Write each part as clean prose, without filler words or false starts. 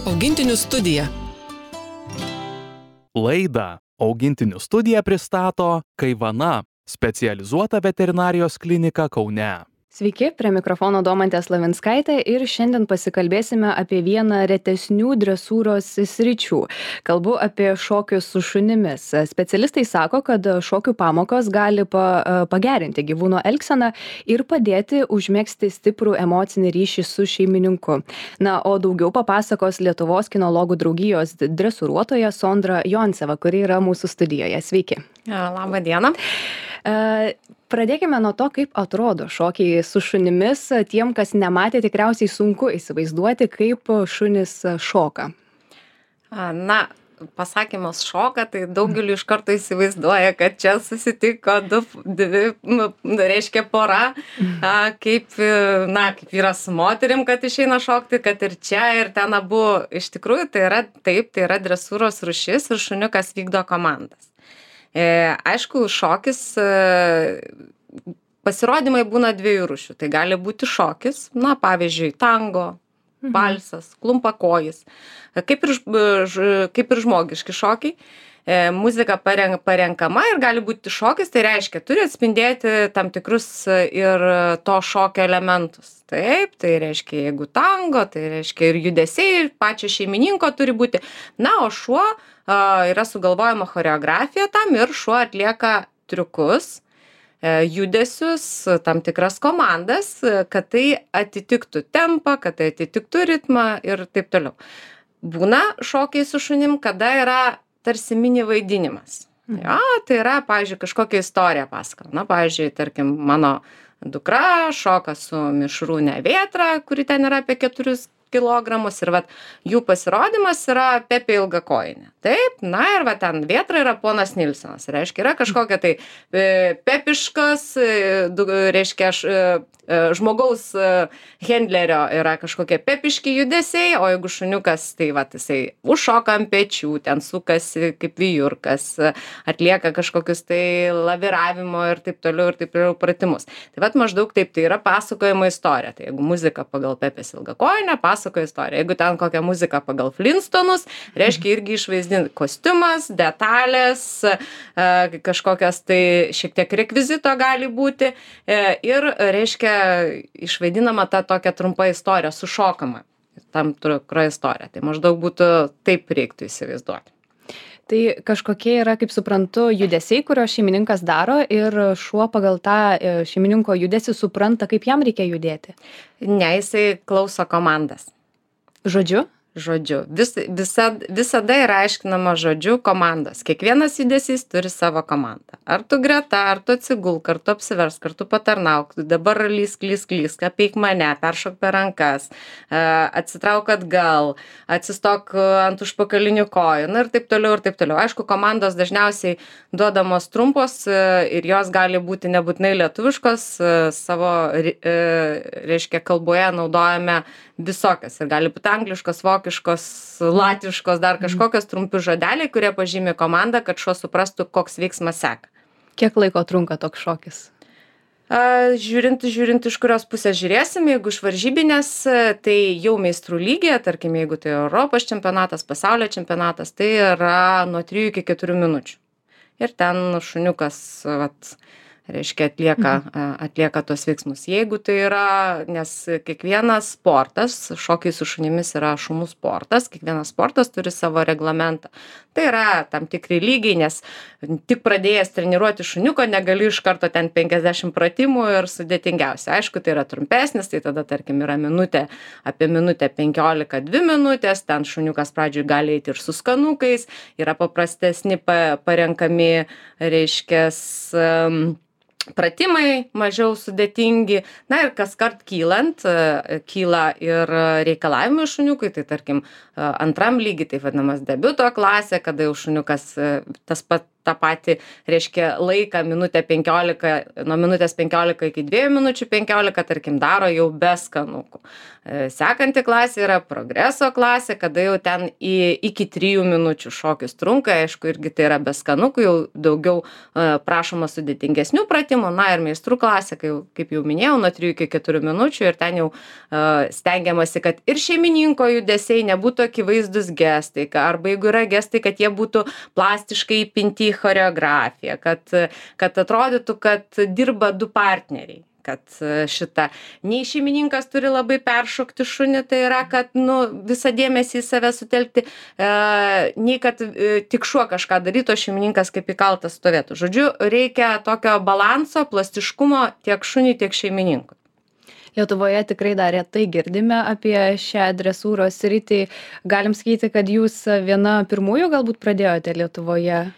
Augintinių studija. Laidą Augintinių studija pristato Kaivana, specializuota veterinarijos klinika Kaune. Sveiki, prie mikrofono Domantė Slavinskaitė ir šiandien pasikalbėsime apie vieną retesnių dresūros sričių. Kalbu apie šokius su šunimis. Specialistai sako, kad šokių pamokos gali pagerinti gyvūno elgseną ir padėti užmegzti stiprų emocinį ryšį su šeimininku. Na, o daugiau papasakos Lietuvos kinologų draugijos dresūruotoja Sondra Jonseva, kuri yra mūsų studijoje. Sveiki. Labą dieną. Pradėkime nuo to, kaip atrodo šokiai su šunimis. Tiem, kas nematė, tikriausiai sunku įsivaizduoti, kaip šunis šoka. Na, pasakymas šoka, tai daugeliu iš karto įsivaizduoja, kad čia susitiko reiškia pora, kaip vyras su moterim, kad išeina šokti, kad ir čia, ir ten abu. Iš tikrųjų, tai yra dresūros rūšis ir šuniukas vykdo komandas. Aišku, šokis, pasirodymai būna dviejų rūšių. Tai gali būti šokis, pavyzdžiui, tango, valsas, klumpakojis, kaip ir žmogiški šokiai. Muzika parenkama ir gali būti šokis, tai reiškia, turi atspindėti tam tikrus ir to šokio elementus. Taip, tai reiškia, jeigu tango, tai reiškia ir judesiai, ir pačio šeimininko turi būti. Na, o šuo yra sugalvojama choreografija tam ir šuo atlieka triukus, judesius, tam tikras komandas, kad tai atitiktų tempą, kad tai atitiktų ritmą ir taip toliau. Būna šokiai su šunim, kada yra tarsi mini vaidinimas. Jo, tai yra, pavyzdžiui, kažkokia istorija pasakojama. Na, pavyzdžiui, tarkim, mano dukra šoka su mišrūne vėtra, kuri ten yra apie 4 kilogramus ir jų pasirodymas yra Pepė Ilgakojinė. Taip, na ir ten vėtra yra ponas Nilsenas. Reiškia, yra kažkokia tai pepiškas, reiškia, žmogaus hendlerio yra kažkokie pepiški judesiai, o jeigu šuniukas, tai jisai užšoka ant pečių, ten sukasi kaip vijurkas, atlieka kažkokius tai laviravimo ir taip toliau pratimus. Tai maždaug taip, tai yra pasakojama istorija. Tai jeigu muzika pagal Pepės Ilgakojinę, pasakoja istoriją. Jeigu ten kokią muziką pagal Flintstonus, reiškia irgi išvaizdinti kostiumas, detalės, kažkokias tai šiek tiek rekvizito gali būti ir, reiškia, išvaidinama ta tokia trumpa istorija, sušokama tam tikra istorija. Tai maždaug būtų taip reiktų įsivaizduoti. Tai kažkokie yra, kaip suprantu, judesiai, kurio šeimininkas daro ir šuo pagal tą šeimininko judesį supranta, kaip jam reikia judėti. Ne, jisai klauso komandas. Žodžiu? Žodžiu. Visada yra aiškinama žodžiu komandos. Kiekvienas judesys turi savo komandą. Ar tu greta, ar tu atsigulk, ar tu apsiversk, ar tu patarnauk, dabar lysk, apeik mane, peršok per rankas, atsitrauk atgal, atsistok ant užpakalinių kojų, ir taip toliau, ir taip toliau. Aišku, komandos dažniausiai duodamos trumpos ir jos gali būti nebūtinai lietuviškos, savo, reiškia, kalboje naudojame visokias ir gali būti angliškos, vokiškos, latviškos, dar kažkokios trumpi žodeliai, kurie pažymi komandą, kad šuo suprastų, koks veiksmas seka. Kiek laiko trunka toks šokis? Žiūrint, iš kurios pusės žiūrėsim, jeigu iš varžybinės, tai jau meistrų lygyje, tarkim, jeigu tai Europos čempionatas, pasaulio čempionatas, tai yra nuo 3 iki 4 minučių. Ir ten šuniukas, reiškia, atlieka tos veiksmus. Jeigu tai yra, nes kiekvienas sportas, šokiai su šunimis yra šunų sportas, kiekvienas sportas turi savo reglamentą. Tai yra tam tikri lygiai, nes tik pradėjęs treniruoti šuniuko, negali iš karto ten 50 pratimų ir sudėtingiausia. Aišku, tai yra trumpesnis, tai tada, tarkim, yra apie minutę 15, 2 minutės, ten šuniukas pradžioj gali eiti ir su skanukais, yra paprastesni parenkami, reiškia, pratimai mažiau sudėtingi. Na ir kaskart kyla ir reikalavimai šuniukui, tai tarkim, antram lygiai, tai vadinamas debiuto klasė, kada jau šuniukas tą patį, reiškia, laiką minutę 15, nuo minutės 15 iki 2 minučių 15, tarkim, daro jau be skanukų. Sekanti klasė yra progreso klasė, kada jau ten iki 3 minučių šokis trunka, aišku, irgi tai yra be skanukų, jau daugiau prašoma sudėtingesnių pratimų, na ir meistrų klasė, kaip jau minėjau, nuo 3 iki 4 minučių ir ten jau stengiamasi, kad ir šeimininko judesiai nebūtų akivaizdus gestai, arba jeigu yra gestai, kad jie būtų plastiškai įpinti į choreografiją, kad atrodytų, kad dirba du partneriai. Kad nei šeimininkas turi labai peršokti šunį, tai yra, kad visą dėmesį į save sutelkti, nei kad tik šuo kažką darytų, o šeimininkas kaip įkaltas stovėtų. Žodžiu, reikia tokio balanso, plastiškumo tiek šuniui, tiek šeimininkui. Lietuvoje tikrai dar retai girdime apie šią dresūros sritį. Galim sakyti, kad jūs viena pirmųjų galbūt pradėjote Lietuvoje?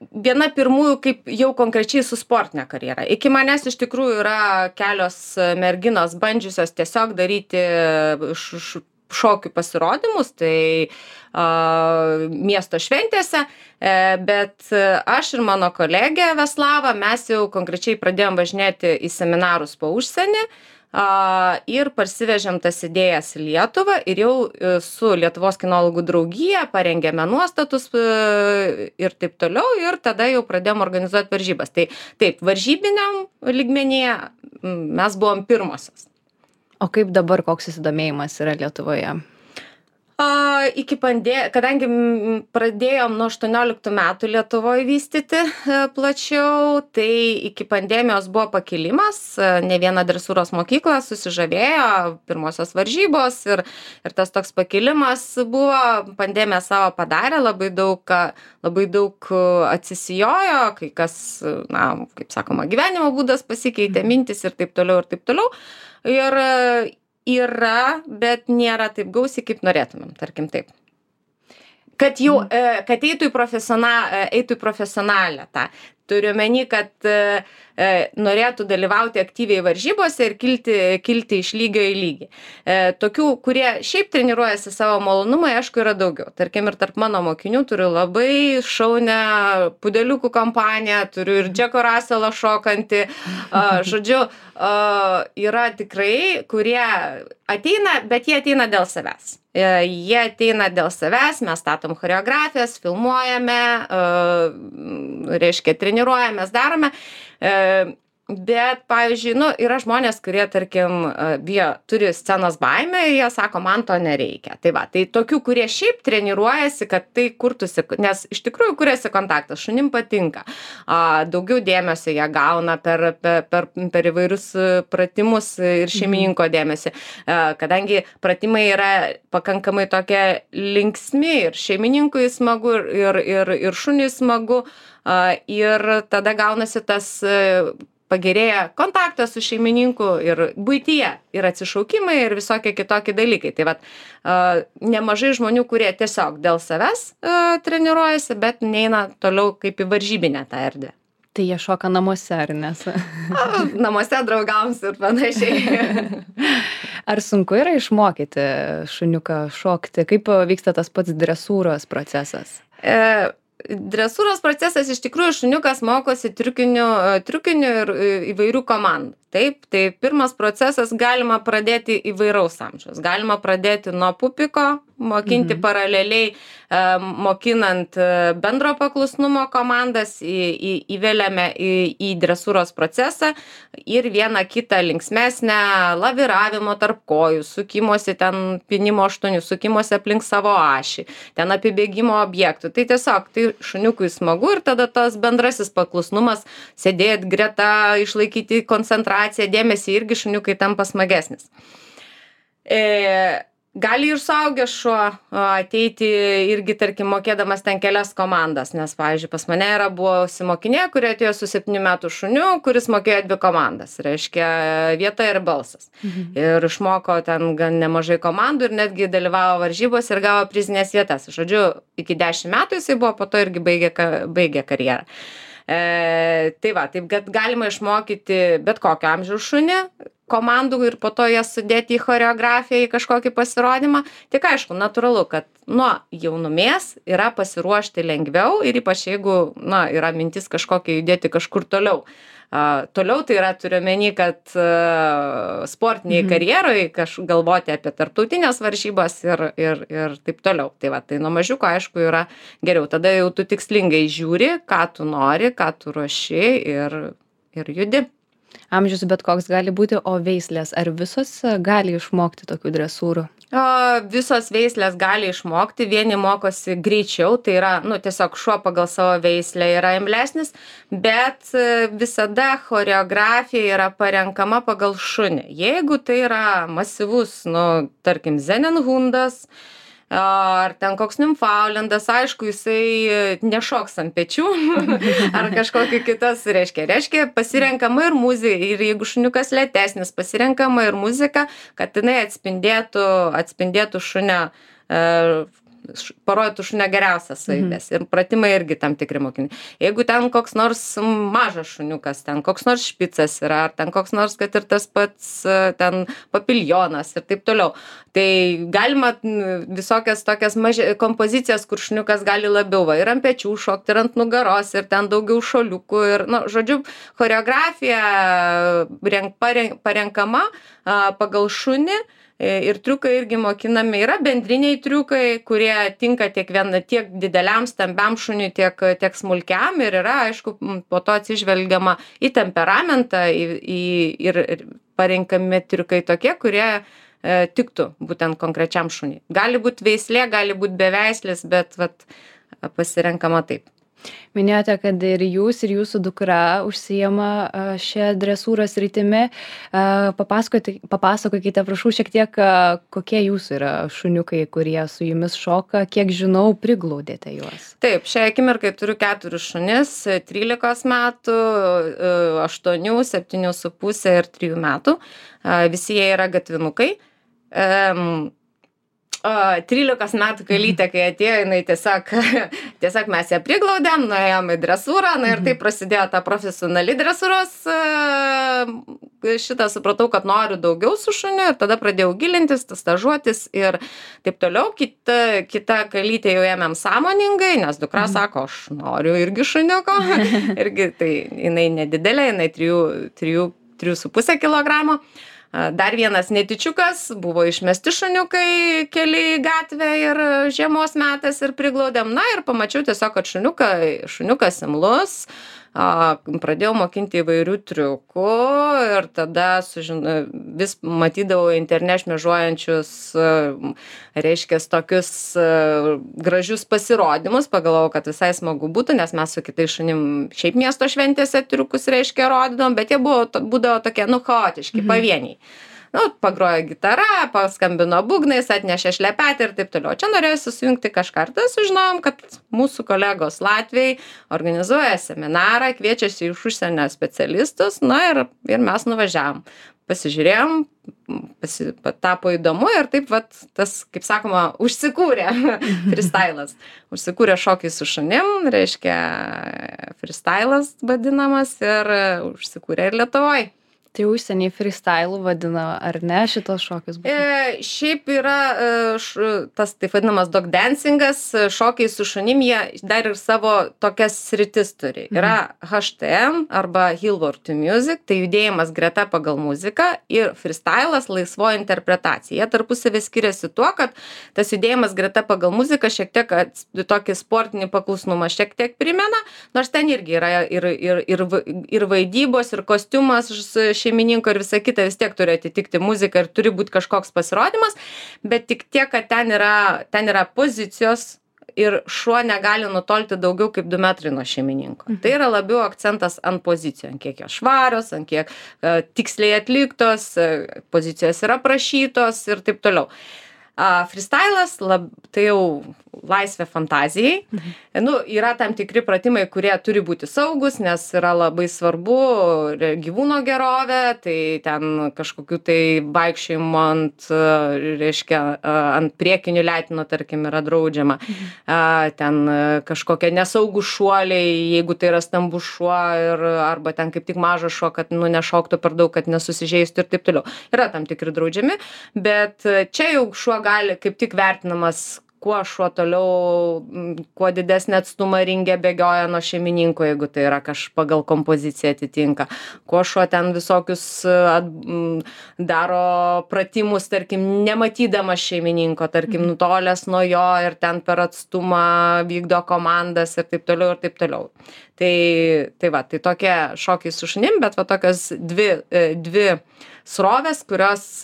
Viena pirmųjų, kaip jau konkrečiai su sportinė karjera. Iki manęs iš tikrųjų yra kelios merginos bandžiusios tiesiog daryti šokių pasirodymus, tai miesto šventėse, bet aš ir mano kolegė Veslava, mes jau konkrečiai pradėjom važinėti į seminarus po užsienį, ir parsivežėm tas idėjas į Lietuvą ir jau su Lietuvos kinologų draugija parengėme nuostatus ir taip toliau ir tada jau pradėjom organizuoti varžybas. Tai taip, varžybiniam lygmenyje mes buvom pirmosios. O kaip dabar, koks susidomėjimas yra Lietuvoje? Kadangi pradėjom nuo 18 metų Lietuvoje vystyti plačiau, tai iki pandemijos buvo pakilimas, ne viena dresūros mokykla susižavėjo, pirmosios varžybos ir tas toks pakilimas buvo, pandemija savo padarė, labai daug atsisijojo, kai kas, kaip sakoma, gyvenimo būdas pasikeitė, mintis ir taip toliau ir taip toliau. Ir yra, bet nėra taip gausiai, kaip norėtumėm, tarkim taip. Kad eitų į profesionalę tą. Turiu meni, kad norėtų dalyvauti aktyviai varžybose ir kilti iš lygio į lygį. Tokių, kurie šiaip treniruojasi savo malonumai, aišku, yra daugiau. Tarkim, ir tarp mano mokinių turiu labai šaunę pudeliukų kompaniją, turiu ir Džeko Russellą šokantį. Žodžiu, yra tikrai, kurie ateina, bet jie ateina dėl savęs. Jie ateina dėl savęs, mes statom choreografijas, filmuojame, reiškia, treniruojamės, darome. Bet, pavyzdžiui, yra žmonės, kurie, tarkim, turi scenos baimę ir jie sako, man to nereikia. Tai va, tai tokių, kurie šiaip treniruojasi, kad tai kurtųsi, nes iš tikrųjų kuriasi kontaktas, šunim patinka. Daugiau dėmesio jie gauna per įvairius pratimus ir šeimininko dėmesį. Kadangi pratimai yra pakankamai tokie linksmi ir šeimininkui smagu ir šuniui smagu. Ir tada gaunasi tas pagerėja kontaktas su šeimininku ir buityje, ir atsišaukimai, ir visokie kitokie dalykai. Tai vat, nemažai žmonių, kurie tiesiog dėl savęs treniruojasi, bet neina toliau kaip į varžybinę tą erdvę. Tai jie šoka namuose, ar nes? Namuose draugams ir panašiai. Ar sunku yra išmokyti šuniuką šokti? Kaip vyksta tas pats dresūros procesas? Dresūros procesas iš tikrųjų šuniukas mokosi triukinių ir įvairių komandų. Taip, tai pirmas procesas galima pradėti įvairaus amžiaus. Galima pradėti nuo pupiko, mokinti paraleliai, mokinant bendro paklusnumo komandas, įveliame į dresūros procesą ir vieną kitą linksmesnę laviravimo tarp kojų, sukimosi ten pinimo aštuonių, sukimosi aplink savo ašį, ten apibėgimo objektų. Tai tiesiog tai šuniukui smagu ir tada tas bendrasis paklusnumas, sėdėt greta, išlaikyti koncentraciją, dėmesį irgi šuniukai tampa smagesnis. Gali ir suaugęs šuo ateiti irgi, tarkim, mokėdamas ten kelias komandas, nes, pavyzdžiui, pas mane yra buvusi mokinė, kuri atėjo su 7 metų šuniu, kuris mokėjo 2 komandas, reiškia vieta ir balsas. Ir išmoko ten gan nemažai komandų ir netgi dalyvavo varžybos ir gavo prizinės vietas. Žodžiu, iki 10 metų jisai buvo, po to irgi baigė karjerą. Tai va, taip, kad galima išmokyti bet kokio amžiaus šunį, komandų ir po to jas sudėti į choreografiją, į kažkokį pasirodymą. Tik aišku, natūralu, kad nuo jaunumės yra pasiruošti lengviau ir ypač jeigu, yra mintis kažkokia judėti kažkur toliau. Toliau tai yra turiu omeny, kad sportiniai karjeroj galvoti apie tarptautinės varžybas ir taip toliau. Tai nuo mažiuko aišku yra geriau. Tada jau tu tikslingai žiūri, ką tu nori, ką tu ruoši ir judi. Amžius bet koks gali būti, o veislės, ar visos gali išmokti tokių dresūrų? Visos veislės gali išmokti, vieni mokosi greičiau, tai yra, tiesiog šuo pagal savo veislę yra imlesnis, bet visada choreografija yra parenkama pagal šunį. Jeigu tai yra masyvus, tarkim, Zenenhundas, ar ten koks Nimfaulendas, aišku, jisai nešoks ant pečių, ar kažkokį kitas, reiškia, pasirenkama ir muzika, ir jeigu šuniukas lėtesnis, pasirenkama ir muzika, kad jinai atspindėtų šunio, parodytų šunio geriausias savybes. Ir pratimai irgi tam tikri mokiniai. Jeigu ten koks nors mažas šuniukas, ten koks nors špicas yra, ar ten koks nors, kad ir tas pats ten papiljonas ir taip toliau. Tai galima visokias tokias kompozicijas, kur šuniukas gali labiau ir ant pečių šokti, ir ant nugaros, ir ten daugiau šoliukų. Ir, žodžiu, choreografija parenkama pagal šunį. Ir triukai irgi mokinami. Yra bendriniai triukai, kurie tinka tiek dideliam, stambiam šuniui, tiek smulkiam. Ir yra, aišku, po to atsižvelgiama į temperamentą ir parenkami triukai tokie, kurie tiktų būtent konkrečiam šuniui. Gali būti veislė, gali būti beveislis, bet pasirenkama taip. Minėjote, kad ir jūs, ir jūsų dukra užsijama šią dresūros rytimi. Papasakokite, prašau, šiek tiek, kokie jūsų yra šuniukai, kurie su jumis šoka, kiek žinau, priglaudėte juos. Taip, šią akimirkai turiu 4 šunis, 13 metų, 8, 7,5 ir 3 metų. Visi jie yra gatvinukai. 13 metų kalytė, kai atėjo, jinai tiesiog mes ją priglaudėm, nuėjom į dresūrą, ir taip prasidėjo ta profesionali dresūros. Supratau, kad noriu daugiau su šuniu ir tada pradėjau gilintis, stažuotis ir taip toliau. Kita kalytė jau ėmėm sąmoningai, nes dukra sako, aš noriu irgi šuniuko. Irgi tai jinai nedidelė, jinai 3,5 kilogramo. Dar vienas netičiukas, buvo išmesti šuniukai keli į gatvę ir žiemos metas ir priglaudėm. Ir pamačiau tiesiog, kad šuniukas imlus, pradėjau mokinti įvairių triukų ir tada vis matydavau internete šmėžuojančius, reiškia, tokius gražius pasirodymus, pagalvojau, kad visai smagu būtų, nes mes su kitais šunim šiaip miesto šventėse triukus, reiškia, rodydom, bet jie būdavo tokie, chaotiški, pavieniai. Pagrojo gitara, paskambino būgnais, atnešė šlepetį ir taip toliau. Čia norėjusi sujungti kažką. Ir tada sužinojom, kad mūsų kolegos Latviai organizuoja seminarą, kviečiasi iš užsienio specialistus, ir mes nuvažiavom. Pasižiūrėjom, tapo įdomu ir taip tas, kaip sakoma, užsikūrė freestylas. Užsikūrė šokiai su šunim, reiškia freestylas vadinamas ir užsikūrė ir Lietuvoje. Tai užsieniai freestyle vadina, ar ne, šitos šokius? Šiaip yra tas taip vadinamas dog dancingas, šokiai su šunim, jie dar ir savo tokias sritis turi. Yra HTM arba Hillward to Music, tai judėjimas greta pagal muziką, ir freestylas laisvoji interpretacija. Jie tarpusavį skiriasi tuo, kad tas judėjimas greta pagal muziką šiek tiek tokį sportinį paklusnumą šiek tiek primena, nors ten irgi yra ir vaidybos, ir kostiumas šeimininko ir visa kita, vis tiek turi atitikti muziką ir turi būti kažkoks pasirodymas, bet tik tiek, kad ten yra pozicijos ir šuo negali nutolti daugiau kaip 2 metrai nuo šeimininko. Tai yra labiau akcentas ant pozicijų, ant kiek jos švarios, ant kiek tiksliai atliktos, pozicijos yra prašytos ir taip toliau. Freestylas, tai jau laisvė fantazijai. Yra tam tikri pratimai, kurie turi būti saugus, nes yra labai svarbu gyvūno gerovė, tai ten kažkokiu tai vaikščiojimo ant priekinių letino, tarkim, yra draudžiama. Ten kažkokie nesaugų šuoliai, jeigu tai yra stambus šuo, arba ten kaip tik mažas šuo, kad nešoktų per daug, kad nesusižeistų ir taip toliau. Yra tam tikri draudžiami, bet čia jau šuo gali kaip tik vertinamas, kuo šuo toliau, kuo didesnį atstumą ringe bėgioja nuo šeimininko, jeigu tai yra pagal kompoziciją atitinka. Kuo šuo ten visokius daro pratimus, tarkim, nematydamas šeimininko, tarkim, nutolęs nuo jo ir ten per atstumą vykdo komandas ir taip toliau ir taip toliau. Tai tokie šokiai su šunim, bet tokios dvi srovės, kurios,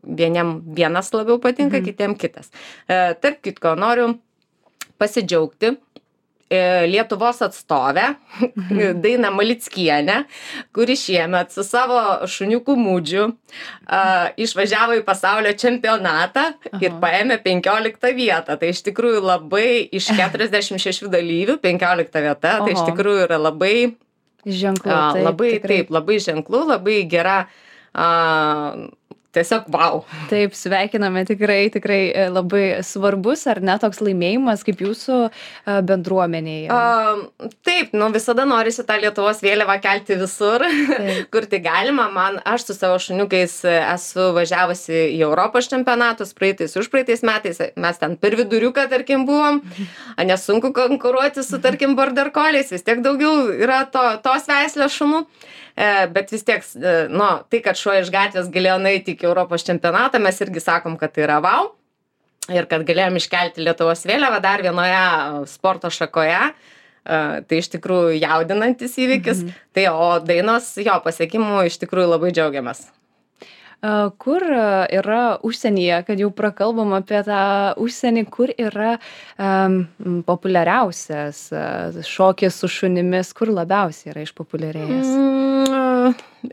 vieniem vienas labiau patinka, kitiem kitas. Tarp kitko, noriu pasidžiaugti Lietuvos atstovę, Dainą Malickienę, kuri šiemet su savo šuniuku Mūdžiu išvažiavo į pasaulio čempionatą ir paėmė 15 vietą. Tai iš tikrųjų labai iš 46 dalyvių 15 vieta, tai iš tikrųjų yra labai ženklu. Labai ženklu, labai gera. Tiesiog wow. Taip, sveikiname, tikrai labai svarbus, ar ne, toks laimėjimas kaip jūsų bendruomenėje? Taip, visada norisi tą Lietuvos vėliavą kelti visur, kur tai galima. Aš su savo šuniukais esu važiavusi į Europos čempionatus užpraeitais metais, mes ten per viduriuką, tarkim, buvom, nesunku konkuruoti su, tarkim, border collies, vis tiek daugiau yra tos veislės šunų. Bet vis tiek, tai, kad šuo iš gatvės galėjo nueiti iki Europos čempionatą, mes irgi sakom, kad tai yra wow. Ir kad galėjom iškelti Lietuvos vėliavą dar vienoje sporto šakoje. Tai iš tikrųjų jaudinantis įvykis. Tai, o Dainos jo pasiekimų iš tikrųjų labai džiaugiamės. Kur yra užsienyje, kad jau prakalbam apie tą užsienį, kur yra populiariausias šokis su šunimis, kur labiausiai yra išpopuliarėjęs?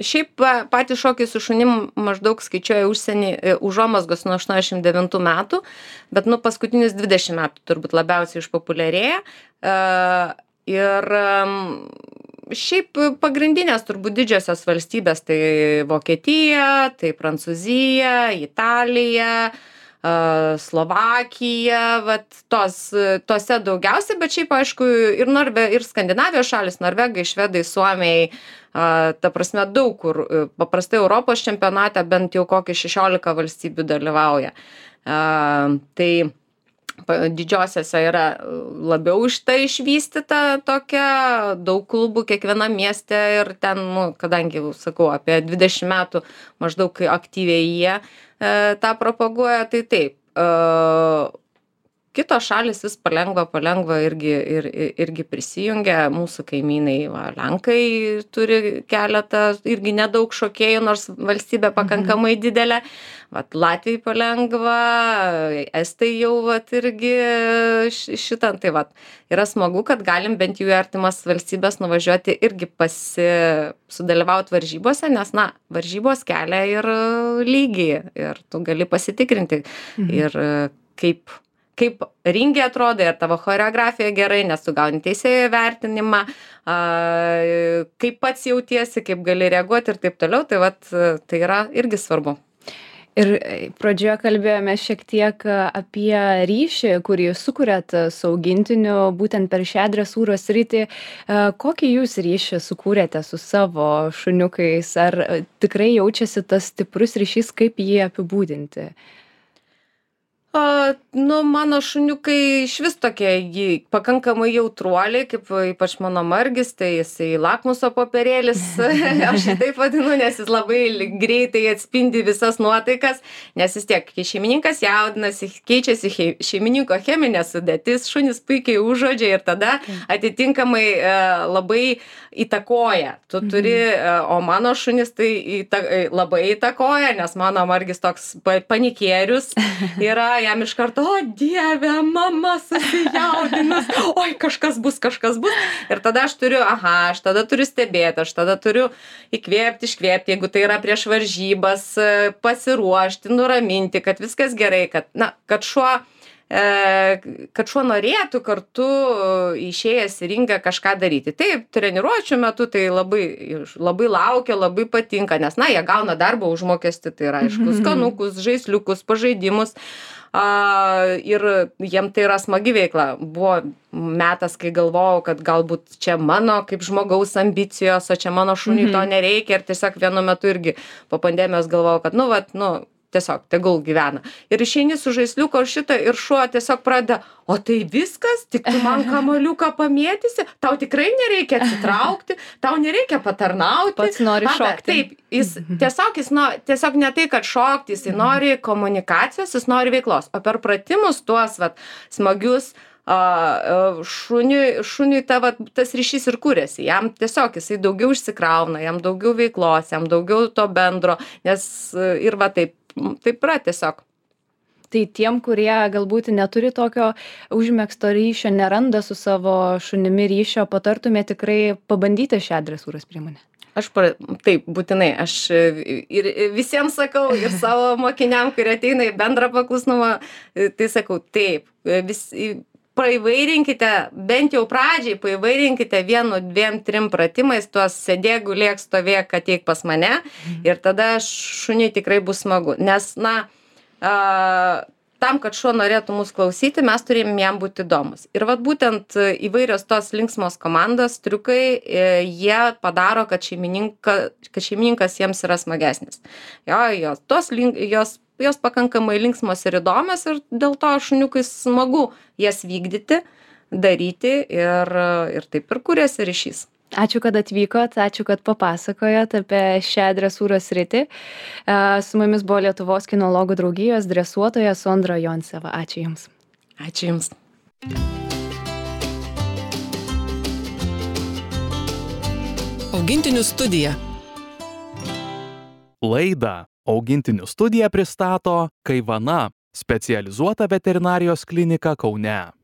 Šiaip patys šokiai su šunim maždaug skaičiuoja užsienį užuomazgos nuo 89 metų, bet paskutinius 20 metų turbūt labiausiai išpopuliarėja. Ir šiaip pagrindinės turbūt didžiosios valstybės, tai Vokietija, tai Prancūzija, Italija, Slovakija, tose daugiausiai, bet šiaip aišku ir Skandinavijos šalis, Norvegai, Švedai, Suomiai, ta prasme daug kur, paprastai Europos čempionate bent jau kokį 16 valstybių dalyvauja. Tai didžiosiose yra labiau išvystyta tokia, daug klubų kiekvienam mieste ir ten, kadangi, sakau, apie 20 metų maždaug aktyviai jie tą propaguoja, tai taip. Kitos šalis vis palengva irgi prisijungia, mūsų kaimynai, Lenkai turi keletą, irgi nedaug šokėjų, nors valstybė pakankamai didelė. Latvijai palengva, Estai jau irgi šitam, tai yra smagu, kad galim bent jau į artimas valstybės nuvažiuoti irgi sudalyvauti varžybose, nes, varžybos kelia ir lygį ir tu gali pasitikrinti ir kaip ringe atrodo ir tavo choreografija gerai, nes tu gauni teisėjo vertinimą, kaip pats jautiesi, kaip gali reaguoti ir taip toliau, tai yra irgi svarbu. Ir pradžioje kalbėjome šiek tiek apie ryšį, kurį sukuriat su augintiniu būtent per šią dresūros sritį. Kokį jūs ryšį sukūrėte su savo šuniukais? Ar tikrai jaučiasi tas stiprus ryšys, kaip jį apibūdinti? Mano šuniukai išvis tokie pakankamai jautruoliai, kaip ypač mano Margis, tai jisai lakmuso popierėlis, aš jį taip vadinu, nes jis labai greitai atspindi visas nuotaikas, nes vis tiek, kai šeimininkas jaudinasi, keičiasi šeimininko cheminė sudėtis, šunys puikiai užuodžia ir tada atitinkamai labai įtakoja. Tu turi, o mano šunis tai labai įtakoja, nes mano Margis toks panikierius yra, jam iš karto, o Dieve, mama susijaudinus, oi, kažkas bus. Ir tada aš tada turiu stebėti, aš tada turiu įkvėpti, iškvėpti, jeigu tai yra prieš varžybas, pasiruošti, nuraminti, kad viskas gerai, kad šuo norėtų kartu išėjęs į ringą kažką daryti. Taip, treniruočių metu tai labai laukia, labai patinka, nes, jie gauna darbo užmokestį, tai yra, aišku, skanukus, žaisliukus, pažaidimus. Ir jiem tai yra smagi veikla. Buvo metas, kai galvojau, kad galbūt čia mano kaip žmogaus ambicijos, o čia mano šuniui to nereikia. Ir tiesiog vienu metu irgi po pandemijos galvojau, kad, tiesiog tegul gyvena. Ir išeini su žaisliuko ir šuo tiesiog pradeda, o tai viskas, tik tu man kamuoliuką pamėtysi, tau tikrai nereikia atsitraukti, tau nereikia patarnauti. Pats nori šokti. Taip, jis tiesiog ne tai, kad šokti, jis nori komunikacijos, jis nori veiklos. O per pratimus tuos smagius šuniui tas ryšys ir kūrėsi. Jam tiesiog jisai daugiau išsikrauna, jam daugiau veiklos, jam daugiau to bendro, nes ir taip yra tiesiog. Tai tiem, kurie galbūt neturi tokio užmegzto ryšio, neranda su savo šunimi ryšio, patartume tikrai pabandyti šią dresūros priemonę. Taip, būtinai. Aš ir visiems sakau, ir savo mokiniam, kurie ateina į bendrą paklusnumą, tai sakau, taip, paįvairinkite, bent jau pradžiai, paįvairinkite 1, 2, 3 pratimais, tuos sėdėk, gulėk, stovėk, ateik pas mane ir tada šuniui tikrai bus smagu. Nes, tam, kad šuo norėtų mus klausyti, mes turime jam būti įdomus. Ir būtent įvairios tos linksmos komandos, triukai, jie padaro, kad šeimininkas jiems yra smagesnis. Jos pakankamai linksmos ir įdomios ir dėl to šuniukui smagu jas vykdyti, daryti ir taip ir kuriasi ryšys. Ačiū, kad atvykot, ačiū, kad papasakojot apie šią dresūros sritį. Su mumis buvo Lietuvos kinologų draugijos dresuotoja Sondra Jonseva. Ačiū Jums. Ačiū Jums. Augintinių studija. Laidą Augintinių studija pristato Kaivana, specializuota veterinarijos klinika Kaune.